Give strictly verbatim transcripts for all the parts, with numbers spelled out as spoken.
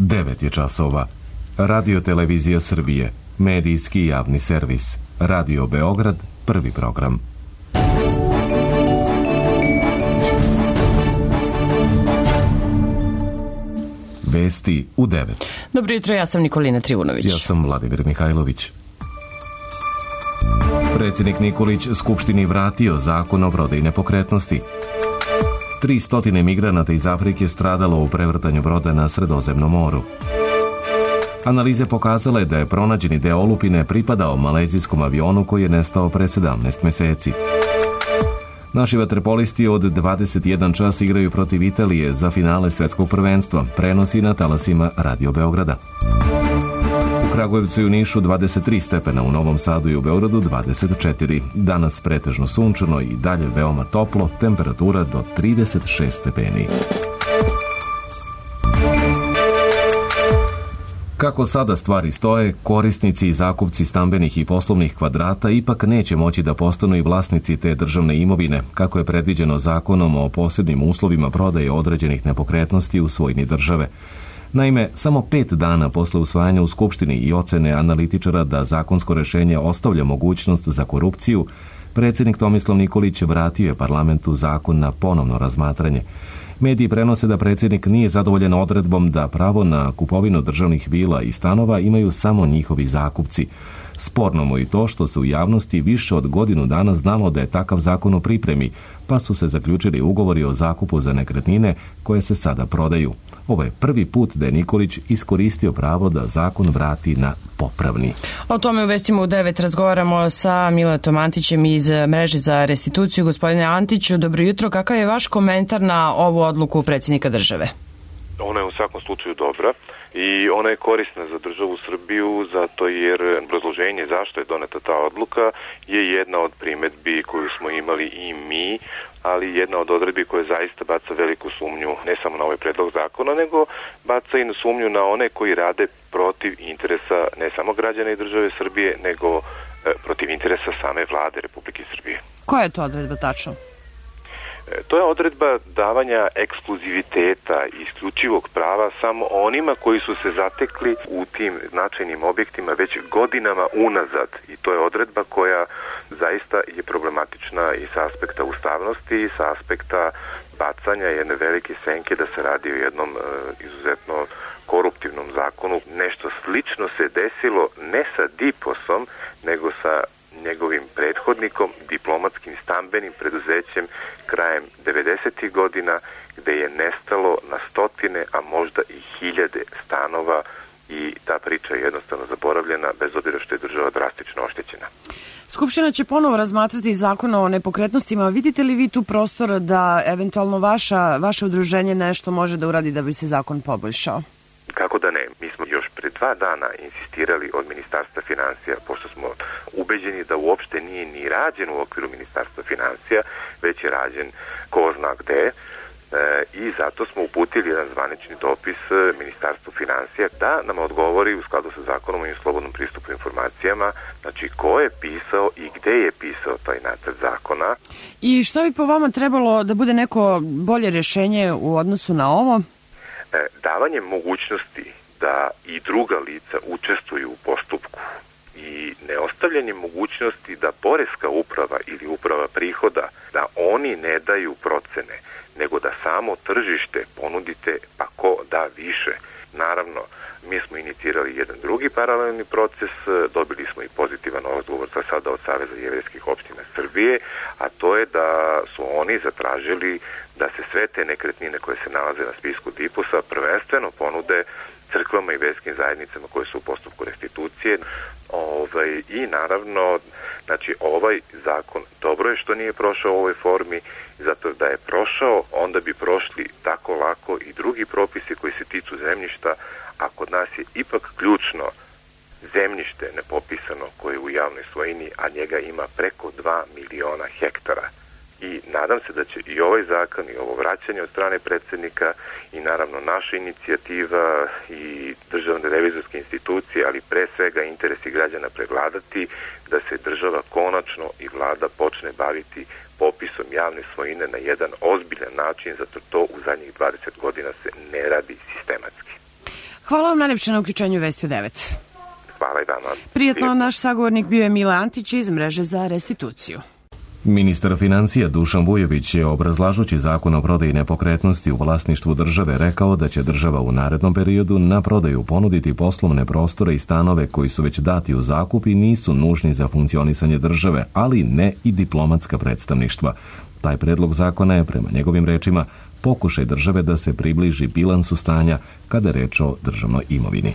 devet je časova. Radio Televizija Srbije, medijski javni servis. Radio Beograd, prvi program. Vesti u devet. Dobro jutro, ja sam Nikolina Trivunović. Ja sam Vladimir Mihajlović. Predsjednik Nikolić Skupštini vratio zakon o prodaji nepokretnosti. Tri stotine migranata iz Afrike stradalo u prevrtanju broda na Sredozemnom moru. Analize pokazale da je pronađeni deo olupine pripadao malezijskom avionu koji je nestao pre sedamnaest meseci. Naši vaterpolisti od dvadeset jedan čas igraju protiv Italije za finale svetskog prvenstva. Prenosi na talasima Radio Beograda. U Kragujevcu i u Nišu dvadeset tri stepena, u Novom Sadu i u Beogradu dvadeset četiri. Danas pretežno sunčano i dalje veoma toplo, temperatura do trideset šest stepeni. Kako sada stvari stoje, korisnici i zakupci stambenih i poslovnih kvadrata ipak neće moći da postanu i vlasnici te državne imovine, kako je predviđeno zakonom o posebnim uslovima prodaje određenih nepokretnosti u svojini države. Naime, samo pet dana posle usvajanja u Skupštini i ocene analitičara da zakonsko rešenje ostavlja mogućnost za korupciju, predsjednik Tomislav Nikolić vratio je parlamentu zakon na ponovno razmatranje. Mediji prenose da predsjednik nije zadovoljan odredbom da pravo na kupovinu državnih vila i stanova imaju samo njihovi zakupci. Sporno mu i to što se u javnosti više od godinu dana znalo da je takav zakon u pripremi, pa su se zaključili ugovori o zakupu za nekretnine koje se sada prodaju. Ovo je prvi put da je Nikolić iskoristio pravo da zakon vrati na popravni. O tome u vestima u devet razgovaramo sa Miletom Antićem iz mreže za restituciju. Gospodine Antiću, dobro jutro. Kakav je vaš komentar na ovu odluku predsjednika države? Ona je u svakom slučaju dobra i ona je korisna za državu Srbiju zato jer obrazloženje zašto je doneta ta odluka je jedna od primedbi koju smo imali i mi, ali jedna od odredbi koja zaista baca veliku sumnju ne samo na ovaj predlog zakona, nego baca i na sumnju na one koji rade protiv interesa ne samo građana i države Srbije, nego e, protiv interesa same vlade Republike Srbije. Koja je to odredba tačno? To je odredba davanja ekskluziviteta i isključivog prava samo onima koji su se zatekli u tim značajnim objektima već godinama unazad. I to je odredba koja zaista je problematična i sa aspekta ustavnosti i sa aspekta bacanja jedne velike senke da se radi o jednom e, izuzetno koruptivnom zakonu. Nešto slično se desilo ne sa Diposom, nego sa njegovim prethodnikom, diplomatskim stambenim preduzećem krajem devedesetih godina, gde je nestalo na stotine, a možda i hiljade stanova i ta priča je jednostavno zaboravljena, bez obzira što je država drastično oštećena. Skupština će ponovo razmatrati zakon o nepokretnostima. Vidite li vi tu prostor da eventualno vaša, vaše udruženje nešto može da uradi da bi se zakon poboljšao? Kako da ne? Mi smo još pre dva dana insistirali od Ministarstva finansija, pošto smo ubeđeni da uopšte nije ni rađen u okviru Ministarstva finansija, već je rađen ko zna gde, e, i zato smo uputili jedan zvanični dopis Ministarstvu finansija da nam odgovori u skladu sa zakonom o slobodnom pristupu informacijama, znači ko je pisao i gde je pisao taj nacrt zakona. I što bi po vama trebalo da bude neko bolje rješenje u odnosu na ovo? Davanje mogućnosti da i druga lica učestvuju u postupku i neostavljanje mogućnosti da poreska uprava ili uprava prihoda, da oni ne daju procene, nego da samo tržište ponudite pa ko da više. Naravno, mi smo inicirali jedan drugi paralelni proces, dobili smo i pozitivan odgovor za sada od Saveza jevrejskih opština Srbije, a to je da su oni zatražili da se sve te nekretnine koje se nalaze na spisku Diposa prvenstveno ponude crkvama i verskim zajednicama koje su u postupku restitucije. Ovaj, I naravno, znači ovaj zakon dobro je što nije prošao u ovoj formi, zato da je prošao, onda bi prošli tako lako i drugi propisi koji se tiču zemljišta, a kod nas je ipak ključno zemljište nepopisano koje je u javnoj svojini, a njega ima preko dva miliona hektara. I nadam se da će i ovaj zakon i ovo vraćanje od strane predsjednika i naravno naša inicijativa i državne revizorske institucije, ali pre svega interesi građana prevladati, da se država konačno i vlada počne baviti popisom javne svojine na jedan ozbiljan način, zato to u zadnjih dvadeset godina se ne radi sistematski. Hvala vam najlepše na uključenju Vesti u devet. Hvala i vama. Prijetno, naš sagovornik bio je Mile Antić iz Mreže za restituciju. Ministar financija Dušan Vujović je, obrazlažući zakon o prodaji nepokretnosti u vlasništvu države, rekao da će država u narednom periodu na prodaju ponuditi poslovne prostore i stanove koji su već dati u zakup i nisu nužni za funkcionisanje države, ali ne i diplomatska predstavništva. Taj predlog zakona je, prema njegovim rečima, pokušaj države da se približi bilansu stanja kada je reč o državnoj imovini.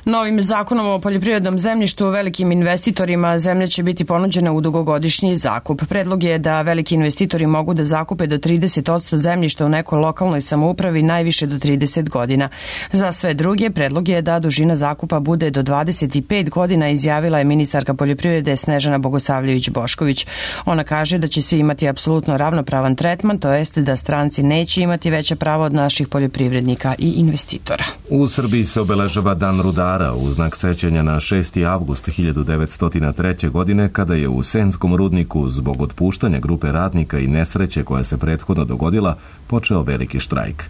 Novim zakonom o poljoprivrednom zemljištu velikim investitorima zemlja će biti ponuđena u dugogodišnji zakup. Predlog je da veliki investitori mogu da zakupe do trideset posto zemljišta u nekoj lokalnoj samoupravi najviše do trideset godina. Za sve druge, predlog je da dužina zakupa bude do dvadeset pet godina, izjavila je ministarka poljoprivrede Snežana Bogosavljević-Bošković. Ona kaže da će svi imati apsolutno ravnopravan tretman, to jest da stranci neće imati veća prava od naših poljoprivrednika i investitora. U Srbiji se obeležava Dan rudara u znak sećanja na šesti avgust hiljadu devetsto treće. godine, kada je u Senskom rudniku zbog otpuštanja grupe radnika i nesreće koja se prethodno dogodila počeo veliki štrajk.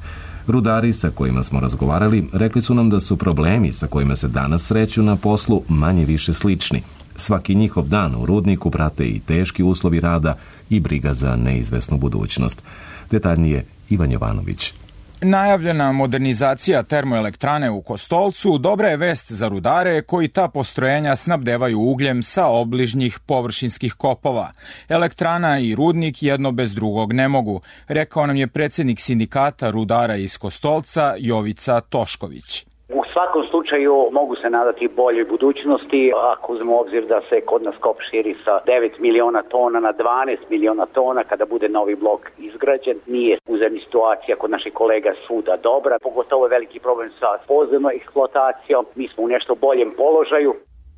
Rudari sa kojima smo razgovarali rekli su nam da su problemi sa kojima se danas sreću na poslu manje više slični. Svaki njihov dan u rudniku prate i teški uslovi rada i briga za neizvesnu budućnost. Detaljnije Ivan Jovanović. Najavljena modernizacija termoelektrane u Kostolcu dobra je vest za rudare koji ta postrojenja snabdevaju ugljem sa obližnjih površinskih kopova. Elektrana i rudnik jedno bez drugog ne mogu, rekao nam je predsjednik sindikata rudara iz Kostolca Jovica Tošković. U svakom slučaju mogu se nadati boljoj budućnosti ako uzmemo u obzir da se kod nas kop širi sa devet miliona tona na dvanaest miliona tona kada bude novi blok izgrađen. Nije uzemni situacija kod naših kolega svuda dobra, pogotovo je veliki problem sa podzemnom eksploatacijom. Mi smo u nešto boljem položaju.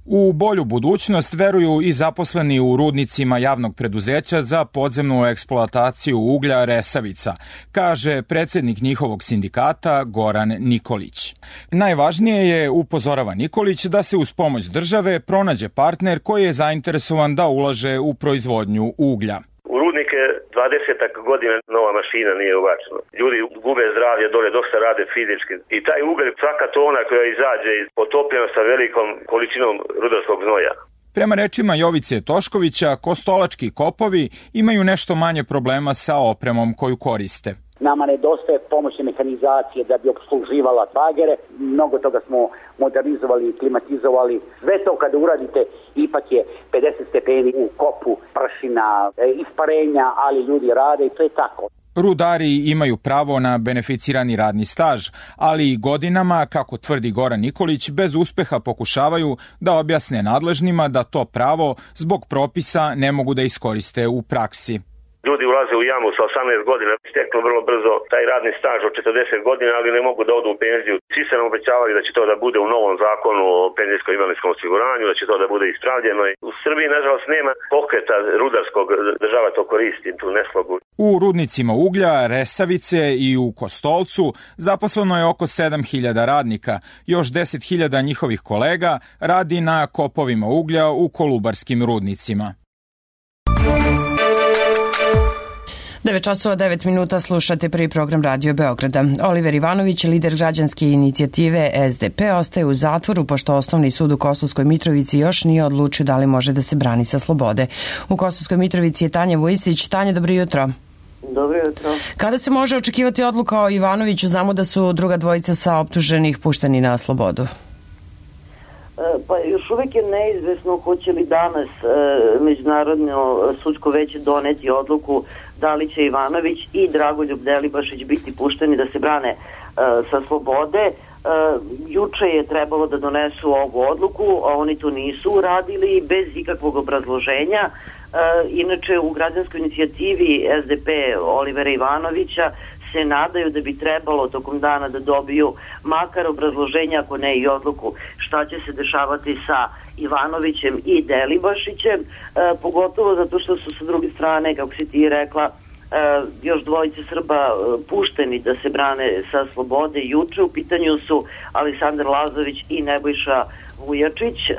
U bolju budućnost veruju i zaposleni u rudnicima javnog preduzeća za podzemnu eksploataciju uglja Resavica, kaže predsjednik njihovog sindikata Goran Nikolić. Najvažnije je, upozorava Nikolić, da se uz pomoć države pronađe partner koji je zainteresovan da ulaže u proizvodnju uglja. U rudnike dvadesetak godina nova mašina nije ubačena. Ljudi gube zdravlje dole, dosta rade fizički. I taj ugalj, svaka tona koja izađe, potopljena sa velikom količinom rudarskog znoja. Prema rečima Jovice Toškovića, kostolački kopovi imaju nešto manje problema sa opremom koju koriste. Nama nedostaje pomoćne mehanizacije da bi obsluživala bagere. Mnogo toga smo modernizovali i klimatizovali. Sve to kada uradite, ipak je pedeset stepeni u kopu, prašina, isparenja, ali ljudi rade i to je tako. Rudari imaju pravo na beneficirani radni staž, ali i godinama, kako tvrdi Goran Nikolić, bez uspeha pokušavaju da objasne nadležnima da to pravo zbog propisa ne mogu da iskoriste u praksi. Ljudi ulaze u jamu sa osamnaest godina, steknu vrlo brzo taj radni staž od četrdeset godina, ali ne mogu da odu u penziju. Svi se nam obećavaju da će to da bude u novom zakonu o penzijskom invalidskom osiguranju, da će to da bude ispravljeno. U Srbiji, nažalost, nema pokreta rudarskog, država to koristi, tu neslogu. U rudnicima uglja, Resavice i u Kostolcu zaposleno je oko sedam hiljada radnika. Još deset hiljada njihovih kolega radi na kopovima uglja u kolubarskim rudnicima. devet časova devet minuta, slušate prvi program Radio Beograda. Oliver Ivanović, lider građanske inicijative S D P, ostaje u zatvoru pošto Osnovni sud u Kosovskoj Mitrovici još nije odlučio da li može da se brani sa slobode. U Kosovskoj Mitrovici je Tanja Vujisić. Tanja, dobro jutro. Dobro jutro. Kada se može očekivati odluka o Ivanoviću? Znamo da su druga dvojica sa optuženih pušteni na slobodu. Pa još uvijek je neizvesno hoće li danas e, Međunarodno sudsko veće doneti odluku da li će Ivanović i Dragoljub Delibašić biti pušteni da se brane e, sa slobode. E, juče je trebalo da donesu ovu odluku, a oni to nisu uradili bez ikakvog obrazloženja. E, inače u građanskoj inicijativi S D P Olivera Ivanovića se nadaju da bi trebalo tokom dana da dobiju makar obrazloženja, ako ne i odluku, šta će se dešavati sa Ivanovićem i Delibašićem, e, pogotovo zato što su sa druge strane, kako si ti rekla, e, još dvojice Srba e, pušteni da se brane sa slobode juče. U pitanju su Aleksandar Lazović i Nebojša Vujačić. E,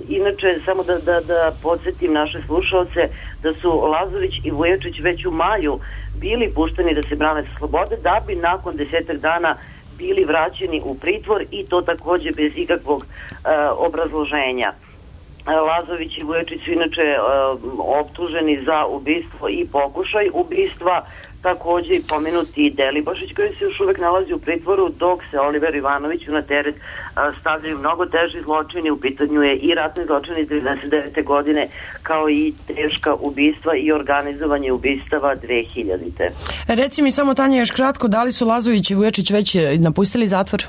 inače, samo da, da, da podsjetim naše slušalce da su Lazović i Vujačić već u maju bili pušteni da se brane sa slobode, da bi nakon desetak dana bili vraćeni u pritvor i to takođe bez ikakvog e, obrazloženja. Lazović i Vujačić su inače e, optuženi za ubistvo i pokušaj ubistva, takođe i pomenuti Delibašić koji se još uvek nalazi u pritvoru, dok se Oliver Ivanoviću na teret a, stavljaju mnogo teži zločini. U pitanju je i ratni zločini iz devedeset devete godine, kao i teška ubistva i organizovanje ubistava dve hiljadite. Reci mi samo, Tanja, još kratko, da li su Lazović i Vujačić već napustili zatvor?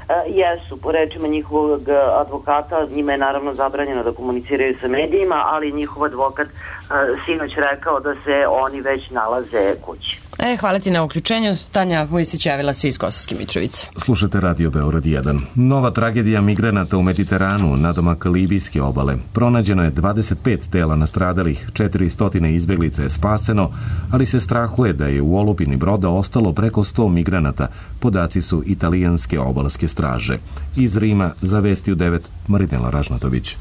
Uh, jesu, po rečima njihovog advokata, njima je naravno zabranjeno da komuniciraju sa medijima, ali njihov advokat uh, sinoć rekao da se oni već nalaze kući. E, hvala ti na uključenju. Tanja Vujsić javila se iz Kosovske Mitrovice. Slušate Radio Beograd jedan. Nova tragedija migranata u Mediteranu, nadomak libijske obale. Pronađeno je dvadeset pet tela nastradalih, četiristo izbeglica je spaseno, ali se strahuje da je u olupini broda ostalo preko sto migranata. Podaci su italijanske obalske straže. Iz Rima za Vesti u devet Marinela Ražnatović.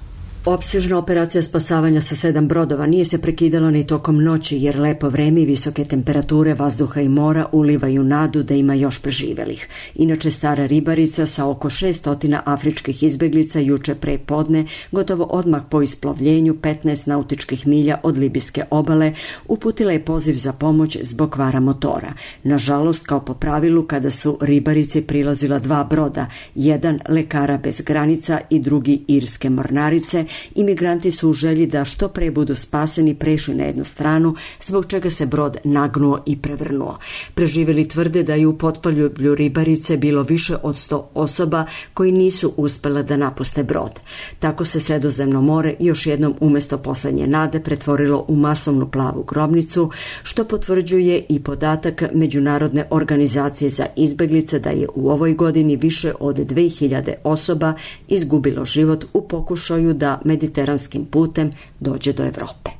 Opsežna operacija spasavanja sa sedam brodova nije se prekidala ni tokom noći, jer lepo vreme i visoke temperature vazduha i mora ulivaju nadu da ima još preživelih. Inače, stara ribarica sa oko šest stotina afričkih izbeglica juče pre podne, gotovo odmah po isplovljenju petnaest nautičkih milja od libijske obale, uputila je poziv za pomoć zbog kvara motora. Nažalost, kao po pravilu, kada su ribarici prilazila dva broda, jedan Lekara bez granica i drugi Irske mornarice, imigranti su u želji da što pre budu spaseni prešli na jednu stranu, zbog čega se brod nagnuo i prevrnuo. Preživeli tvrde da je u potpaljublju ribarice bilo više od sto osoba koji nisu uspele da napuste brod. Tako se Sredozemno more još jednom umesto poslednje nade pretvorilo u masovnu plavu grobnicu, što potvrđuje i podatak Međunarodne organizacije za izbeglice da je u ovoj godini više od dve hiljade osoba izgubilo život u pokušaju da mediteranskim putem dođe do Evrope.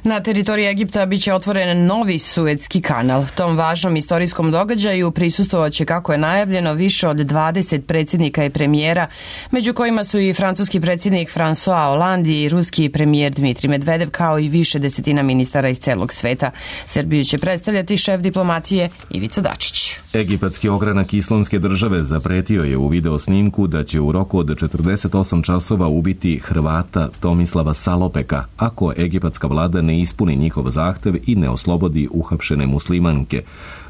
Na teritoriji Egipta biće otvoren novi Suetski kanal. Tom važnom istorijskom događaju prisustvovaće, kako je najavljeno, više od dvadeset predsjednika i premijera, među kojima su i francuski predsjednik François Hollande i ruski premijer Dmitrij Medvedev, kao i više desetina ministara iz celog sveta. Srbiju će predstavljati šef diplomatije Ivica Dačić. Egipatski ogranak Islamske države zapretio je u video snimku da će u roku od četrdeset osam časova ubiti Hrvata Tomislava Salopeka, ako egipatska vlada ne ispuni njihov zahtev i ne oslobodi uhapšene muslimanke.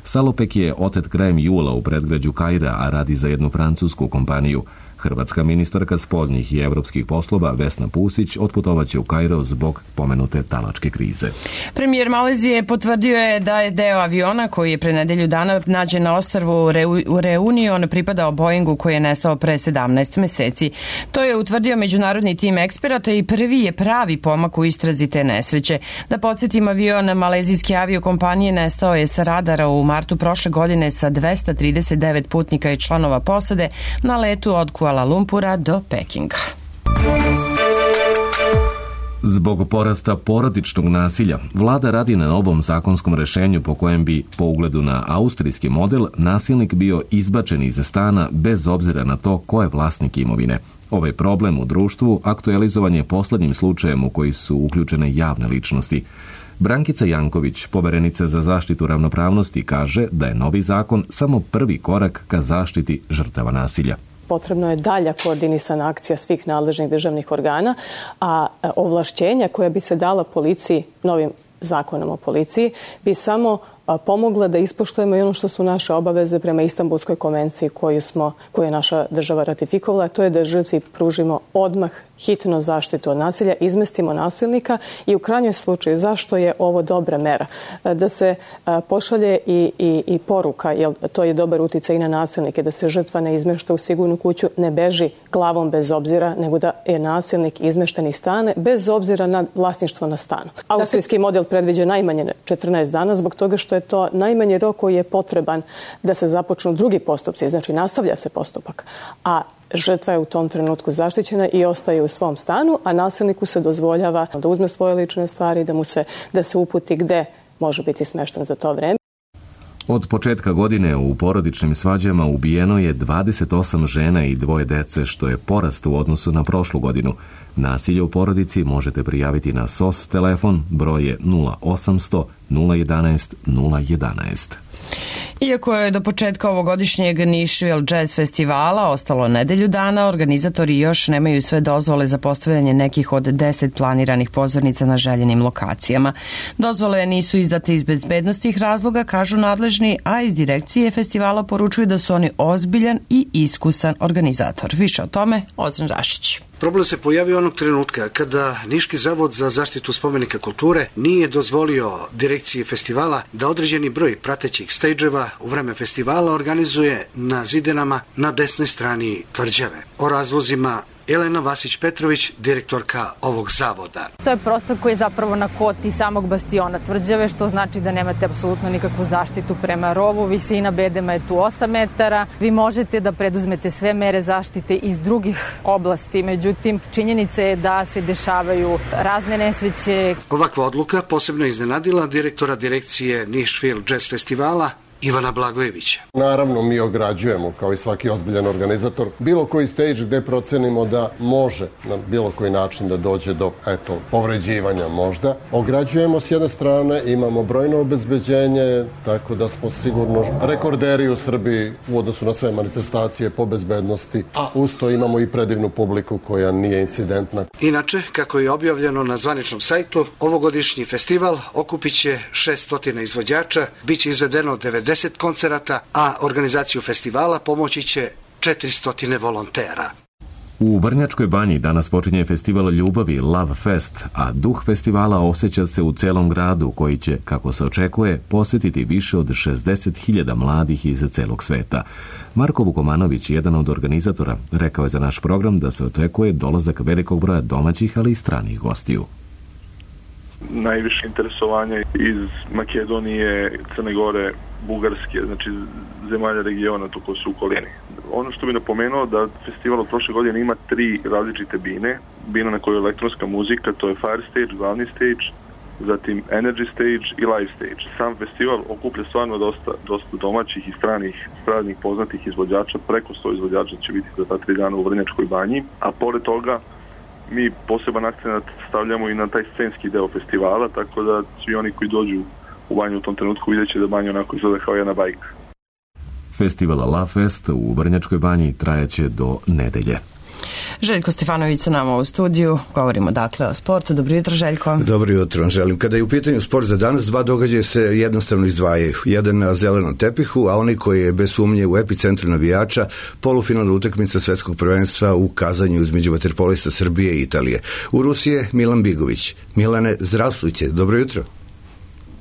Salopek je otet krajem jula u predgrađu Kaira, a radi za jednu francusku kompaniju. Hrvatska ministarka spoljnih i evropskih poslova Vesna Pusić otputovaće u Kairo zbog pomenute talačke krize. Premijer Malezije potvrdio je da je deo aviona koji je pre nedelju dana nađen na ostrvu Reunion pripadao Boeingu koji je nestao pre sedamnaest meseci. To je utvrdio međunarodni tim eksperata i prvi je pravi pomak u istrazi te nesreće. Da podsjetim, avion malezijske aviokompanije nestao je sa radara u martu prošle godine sa dvesta trideset devet putnika i članova posade na letu od Kuala Lumpura do Pekinga. Zbog porasta porodičnog nasilja, vlada radi na novom zakonskom rešenju po kojem bi, po ugledu na austrijski model, nasilnik bio izbačen iz stana bez obzira na to ko je vlasnik imovine. Ovaj problem u društvu aktualizovan je poslednjim slučajem u koji su uključene javne ličnosti. Brankica Janković, poverenica za zaštitu ravnopravnosti, kaže da je novi zakon samo prvi korak ka zaštiti žrtava nasilja. Potrebno je dalja koordinisana akcija svih nadležnih državnih organa, a ovlašćenja koja bi se dala policiji novim zakonom o policiji bi samo pomogla da ispoštujemo i ono što su naše obaveze prema Istanbulskoj konvenciji koju, smo, koju je naša država ratifikovala, a to je da žrtvi pružimo odmah hitno zaštitu od nasilja, izmestimo nasilnika i u krajnjem slučaju zašto je ovo dobra mera? Da se pošalje i, i, i poruka, jer to je dobar uticaj i na nasilnike, da se žrtva ne izmešta u sigurnu kuću, ne beži glavom bez obzira, nego da je nasilnik izmešten iz stana bez obzira na vlasništvo na stanu. Austrijski model predviđa najmanje četrnaest dana zbog toga što je to najmanji rok koji je potreban da se započnu drugi postupci, znači nastavlja se postupak, a žrtva je u tom trenutku zaštićena i ostaje u svom stanu, a nasilniku se dozvoljava da uzme svoje lične stvari, da mu se, da se uputi gde može biti smešten za to vreme. Od početka godine u porodičnim svađama ubijeno je dvadeset osam žena i dvoje dece, što je porast u odnosu na prošlu godinu. Nasilje u porodici možete prijaviti na S O S telefon, broj je nula osamsto nula jedanaest nula jedanaest. Iako je do početka ovogodišnjeg Nashville Jazz festivala ostalo nedelju dana, organizatori još nemaju sve dozvole za postavljanje nekih od deset planiranih pozornica na željenim lokacijama. Dozvole nisu izdate iz bezbednostnih razloga, kažu nadležni, a iz direkcije festivala poručuju da su oni ozbiljan i iskusan organizator. Više o tome, Ozren Rašić. Problem se pojavio onog trenutka kada Niški zavod za zaštitu spomenika kulture nije dozvolio direkciji festivala da određeni broj pratećih stejđeva u vreme festivala organizuje na zidenama na desnoj strani tvrđave. O razlozima Elena Vasić-Petrović, direktorka ovog zavoda. To je prostor koji je zapravo na koti samog bastiona tvrđave, što znači da nemate apsolutno nikakvu zaštitu prema rovu. Visina bedema je tu osam metara. Vi možete da preduzmete sve mere zaštite iz drugih oblasti, međutim, činjenica je da se dešavaju razne nesreće. Ovakva odluka posebno iznenadila direktora direkcije Nashville Jazz festivala Ivana Blagojevića. Naravno, mi ograđujemo, kao i svaki ozbiljan organizator, bilo koji stage gde procenimo da može na bilo koji način da dođe do, eto, povređivanja možda. Ograđujemo s jedne strane, imamo brojno obezbeđenje, tako da smo sigurno rekorderi u Srbiji u odnosu na sve manifestacije po bezbednosti, a usto imamo i predivnu publiku koja nije incidentna. Inače, kako je objavljeno na zvaničnom sajtu, ovogodišnji festival okupit će šessto izvođača, bit će izvedeno devedeset koncerata, a organizaciju festivala pomoći će četiristo volontera. U Vrnjačkoj banji danas počinje festival ljubavi Love Fest, a duh festivala osjeća se u celom gradu koji će, kako se očekuje, posjetiti više od šezdeset hiljada mladih iz celog sveta. Marko Vukomanović, jedan od organizatora, rekao je za naš program da se očekuje dolazak velikog broja domaćih, ali i stranih gostiju. Najviše interesovanje iz Makedonije, Crne Gore, Bugarske, znači zemalja regiona to koji su u okolini. Ono što bi napomenuo da festival od prošle godine ima tri različite bine. Bina na kojoj je elektronska muzika, to je Fire Stage, glavni stage, zatim Energy Stage i Live Stage. Sam festival okuplja stvarno dosta, dosta domaćih i stranih, stranih poznatih izvođača, preko sto izvođača će biti za ta tri dana u Vrnjačkoj banji, a pored toga mi poseban akcent stavljamo i na taj scenski deo festivala, tako da svi oni koji dođu u banju u tom trenutku vidjet će da banja onako izgleda kao jedna bajka. Festival Love Fest u Vrnjačkoj banji trajaće do nedelje. Željko Stefanović sa nama u studiju. Govorimo dakle o sportu. Dobro jutro, Željko. Dobro jutro vam želim. Kada je u pitanju sport za danas, dva događaja se jednostavno izdvajaju. Jedan na zelenom tepihu, a onaj koji je bez sumnje u epicentru navijača, polufinalna utakmica svetskog prvenstva u Kazanju između vaterpolista Srbije i Italije. U Rusiji je Milan Bigović. Milane, zdravstvujte. Dobro jutro.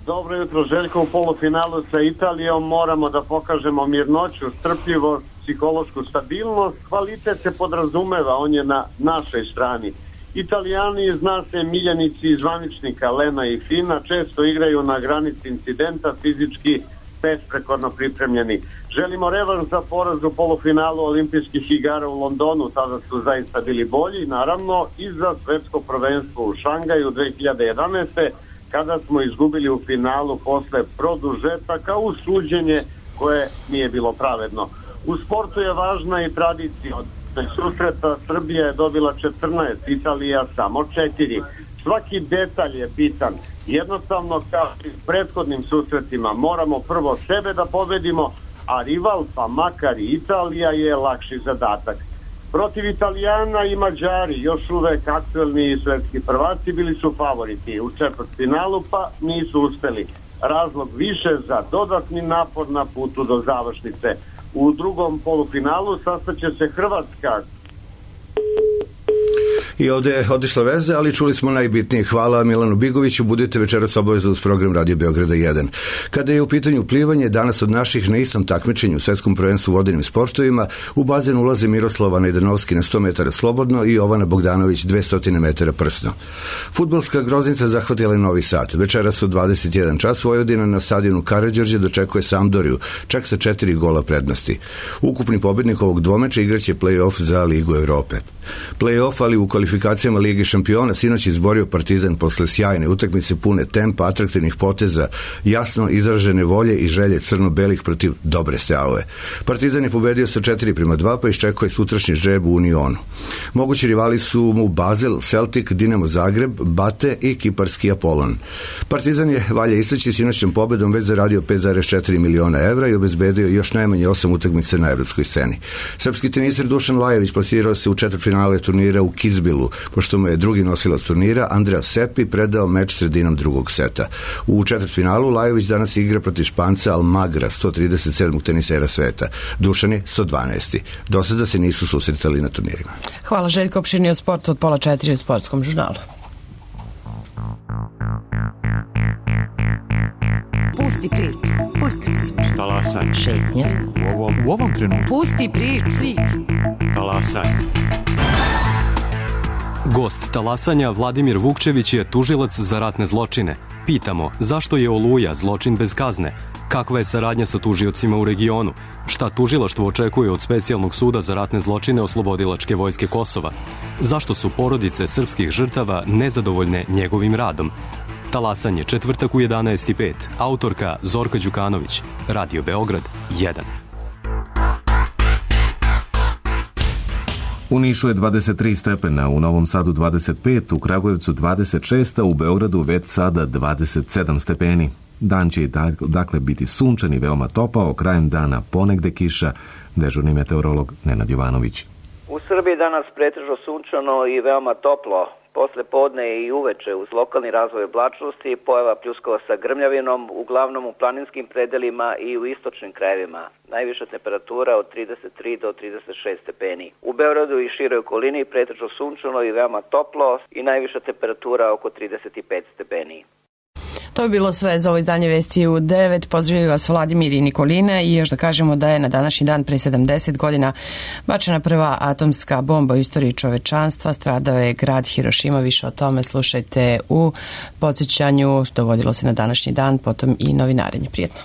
Dobro jutro, Željko. U polufinalu sa Italijom moramo da pokažemo mirnoću, strpljivost, psihološku stabilnost. Kvalitet se podrazumeva, on je na našoj strani. Italijani, zna se, miljenici zvaničnika Lena i Fina, često igraju na granici incidenta, fizički besprekorno pripremljeni. Želimo revanš za poraz u polufinalu olimpijskih igara u Londonu, tada su zaista bili bolji, naravno, i za svetsko prvenstvo u Šangaju dve hiljade jedanaeste. kada smo izgubili u finalu posle produžetaka uz suđenje koje nije bilo pravedno. U sportu je važna i tradicija. Od susreta Srbija je dobila četrnaest, Italija samo četiri. Svaki detalj je bitan. Jednostavno, kao i u prethodnim susretima, moramo prvo sebe da pobedimo, a rival, pa makar i Italija, je lakši zadatak. Protiv Italijana i Mađari, još uvek aktuelni svetski prvaci, bili su favoriti u četvrtfinalu, pa nisu uspeli. Razlog više za dodatni napor na putu do završnice. U drugom polufinalu sastaće se Hrvatska. I ovde je otišla veze, ali čuli smo najbitnije. Hvala Milanu Bigoviću, budite večeras obavezno uz program Radio Beograda jedan. Kada je u pitanju plivanje, danas od naših na istom takmičenju u svetskom prvenstvu u vodenim sportovima u bazen ulaze Miroslava Najdanovski na sto metara slobodno i Jovana Bogdanović dvesta metara prsno. Fudbalska groznica zahvatila je Novi Sad. Večeras u dvadeset jedan čas Vojvodina na stadionu Karađorđe dočekuje Sampdoriju, čak sa četiri gola prednosti. Ukupni pobednik ovog dvomeča igraće play-off za Ligu Evrope. Play-off, ali u kvalifikaciji kvalifikacijama Lige šampiona sinoć izborio Partizan posle sjajne utakmice pune tempa, atraktivnih poteza, jasno izražene volje i želje crno-belih protiv dobre Steaue. Partizan je pobedio sa četiri prema dva, pa iščekuje sutrašnji žreb u Unionu. Mogući rivali su mu Basel, Celtic, Dinamo Zagreb, Bate i kiparski Apollon. Partizan je, valja istaći, sinoćnom pobedom već zaradio pet zarez četiri miliona evra i obezbedio još najmanje osam utakmica na evropskoj sceni. Srpski teniser Dušan Lajović plasirao se u četvrtfinale turnira u Kitzbühelu, pošto mu je drugi nosilac turnira Andrea Seppi predao meč sredinom drugog seta. U četvrtfinalu Lajović danas igra protiv Španca Almagra, sto trideset sedmog tenisera sveta. Dušan je sto dvanaesti. Do sada se nisu susretali na turnirima. Hvala Željko, opširnije o sportu od pola četiri u Sportskom žurnalu. Pusti priču, pusti priču. Talasanje. Šetnja. U ovom, u ovom trenutku. Pusti priču. priču. Talasanje. Gost Talasanja Vladimir Vukčević je tužilac za ratne zločine. Pitamo zašto je Oluja zločin bez kazne? Kakva je saradnja sa tužiocima u regionu? Šta tužilaštvo očekuje od Specijalnog suda za ratne zločine Oslobodilačke vojske Kosova? Zašto su porodice srpskih žrtava nezadovoljne njegovim radom? Talasanje, četvrtak u jedanaest i pet. Autorka Zorka Đukanović. Radio Beograd jedan. U Nišu je dvadeset tri stepena, u Novom Sadu dvadeset pet, u Kragujevcu dvadeset šest, a u Beogradu već sada dvadeset sedam stepeni. Dan će dakle biti sunčan i veoma topao, krajem dana ponegde kiša, dežurni meteorolog Nenad Jovanović. U Srbiji danas pretežno sunčano i veoma toplo. Posle podne i uveče uz lokalni razvoj oblačnosti pojava pljuskova sa grmljavinom, uglavnom u planinskim predelima i u istočnim krajevima. Najviša temperatura od trideset tri do trideset šest stepeni. U Beogradu i široj okolini pretežno sunčano i veoma toplo i najviša temperatura oko trideset pet stepeni. To je bilo sve za ovo izdanje Vesti u devet. Pozdravljaju vas Vladimir i Nikolina i još da kažemo da je na današnji dan pre sedamdeset godina bačena prva atomska bomba u istoriji čovečanstva. Stradao je grad Hirošima. Više o tome slušajte u podsjećanju. Dogodilo se na današnji dan, potom i novinarenje. Prijetno.